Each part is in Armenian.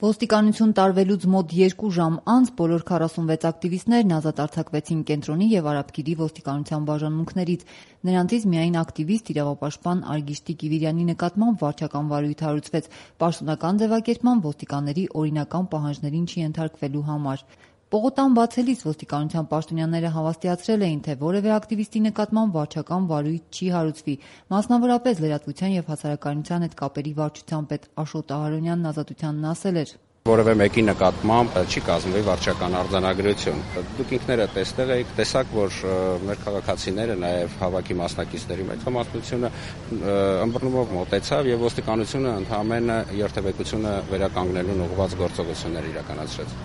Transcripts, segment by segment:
Ոստիկանություն տարվելուց մոտ 2 ժամ անց բոլոր 46 ակտիվիստներն ազատ արձակվեցին Կենտրոնի և Արաբկիրի ոստիկանության բաժանմունքներից։ Նրանցից միայն ակտիվիստ իրավապաշտպան Արգիշտի Կիվիրյանի նկատմամբ վարչական վարույթ հարուցվեց պաշտոնական ձևակերպման ոստիկանների օրինական պահանջներին չենթարկվելու համար։ Պողոտան բացելիս ոստիկանության պաշտոնյաները հավաստիացրել էին, թե որևէ ակտիվիստի նկատմամբ վարչական վարույթ չի հարուցվի։ Մասնավորապես Լրատվության և հասարակայնության հետ կապերի վարչության պետ Աշոտ Ահարոնյանն Ազատությանն ասել էր. Որևէ մեկի նկատմամբ չի կազմվի վարչական արձանագրություն։ Դուք ինքներդ տեսել եք, տեսաք, որ մեր քաղաքացիները, նաև հավաքի մասնակիցների մեծամասնությունը ըմբռնումով մոտեցավ եւ ոստիկանությունը ընդհանրապես երթևեկությունը վերականգնելուն ուղղված գործողություններ իրականացրեց։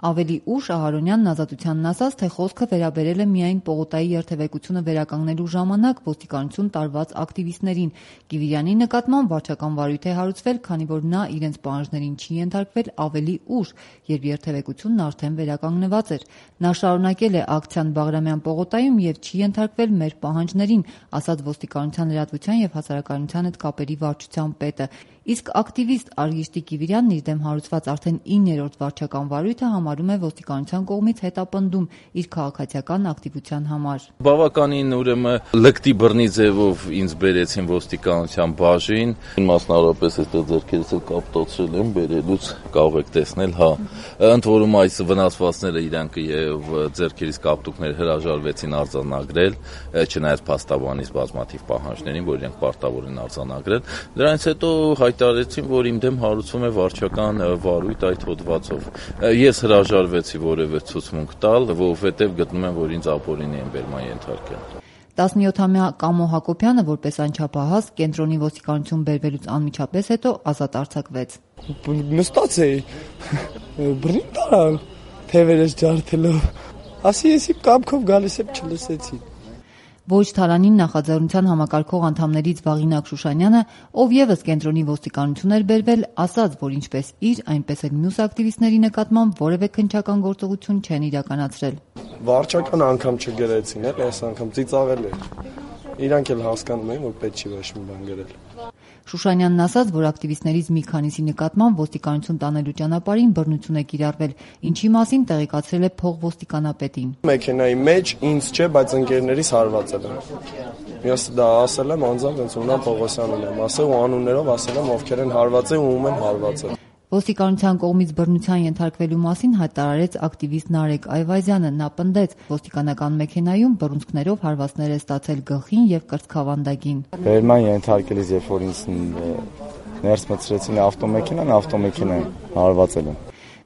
Ավելի ուշ Ահարոնյանն Ազատությանն ասաց, թե խոսքը վերաբերել է միայն Պողոտայի երթևեկությունը վերականգնելու ժամանակ ոստիկանություն տարված ակտիվիստներին։ Կիվիրյանի նկատմամբ վարչական վարույթ է հարուցվել, քանի որ նա իրենց պահանջներին չի ենթարկվել ավելի ուշ, երբ երթևեկությունն արդեն վերականգնված էր։ Նա շարունակել է ակցիան Բաղրամյան պողոտայում եւ չի ենթարկվել մեր պահանջներին, ասաց ոստիկանության լրատվության եւ հասարակայնության հետ կապերի վարչության պետը։ Իսկ ակտիվիստ Արգիշտի Կիվիրյանն իր դեմ հարուցված արդեն 9-րդ վարչական վարույթը համարում է ոստիկանության կողմից հետապնդում իր քաղաքացիական ակտիվության համար։ Բավականին ուրեմն լկտի բռնի ձևով ինձ բերեցին ոստիկանության բաժին, մասնավորապես այստեղ ձեռքերս էլ կապտացրել եմ, բերելուց կարող եք տեսնել, ընդ որում այս վնասվածքները իրանք եւ ձեռքերից կապտուկներ հրաժարվեցին արձանագրել, չնայած փաստաբանից բազմաթիվ պահանջներին, որ իրենք պարտավոր են արձանագրել։ Դրանից հետո հայտարարեցին, որ իմ դեմ հարուցվում է վարչական վարույթ այդ հոդվածով։ Ես հրաժարվեցի որևէ ցուցմունք տալ, որովհետև գտնում եմ, որ ինձ ապօրինի են բերման ենթարկել։ 17-ամյա Կամո Հակոբյանը որպես անչափահաս Կենտրոնի ոստիկանություն բերվելուց անմիջապես հետո ազատ արձակվեց։ Նստած էի, բռնի տարան, թևերս ջարդելով, ասի եսի կամքով գալիս եմ չլսեցի։ Ոչ Թալանին նախաձեռնության համակարգող անդամներից Վաղինակ Շուշանյանը, ով եւս Կենտրոնի ոստիկանություն էր բերվել, ասաց, որ ինչպես իր, այնպես էլ մյուս ակտիվիստների նկատմամբ որևէ քննչական գործողություն չեն իրականացրել։ Վարչական անգամ չգրեցին, այս անգամ ծիծաղել էր։ Իրանք էլ հասկանում են, որ պետք չի ոչ մի բան գրել։ Շուշանյանն ասաց, որ ակտիվիստներից մի քանիսի նկատմամբ ոստիկանություն տանելու ճանապարհին բռնություն է կիրառվել, ինչի մասին տեղեկացրել է փողոստիկանապետին։ Մեքենայի մեջ ինձ չէ, բայց ընկերներիս հարվածել են։ Ես դա ասել եմ անձամբ, ոնց Ունան Պողոսյանին եմ ասել ու անուններով ասել եմ, ովքեր են հարվածել ու ում են հարվածել։ Ոստիկանության կողմից բռնության ենթարկվելու մասին հայտարարեց ակտիվիստ Նարեկ Այվազյանը։ Նա պնդեց, ոստիկանական մեքենայում բռունցքներով հարվածներ է ստացել գլխին եւ կրծքավանդակին։ Բերման ենթարկելիս, երբ որ ինձ ներս մտցրեցին ավտոմեքենան հարվածել են։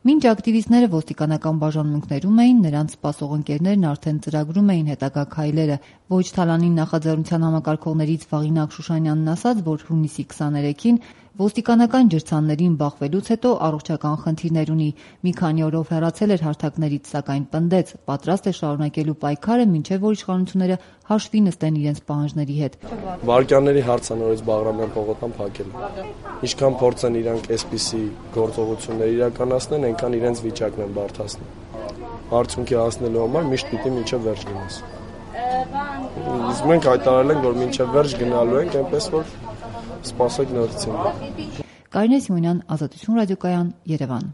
Մինչ ակտիվիստները ոստիկանական բաժանմունքներում էին, նրանց սպասող ընկերներն արդեն ծրագրում էին հետագա քայլերը։ Ոչ Թալանին նախաձեռնության համակարգողներից Վաղինակ Շուշանյանն ասաց, որ հունիսի 23-ին ոստիկանական ջրցաններին բախվելուց հետո առողջական խնդիրներ ունի։ Մի քանի օրով հեռացել էր հարթակներից, սակայն պնդեց, պատրաստ է շարունակելու պայքարը, մինչև որ իշխանությունները հաշվի նստեն իրենց պահանջների հետ։ Վարկաների հարցը նորից Բաղրամյան պողոտան փակել։ Ինչքան փորձեն իրանք այսպիսի գործողություններ իրականացնեն, այնքան իրենց վիճակն են բարդացնում։ Արդյունքի հասնելու համար միշտ պիտի մինչև վերջ գնաս։ Իսկ մենք հայտարարել ենք, որ մինչև վերջ գնալու ենք, այնպես որ սպասեք նորից։ Կարինե Սիմոնյան, Ազատություն ռադիոկայան, Երևան։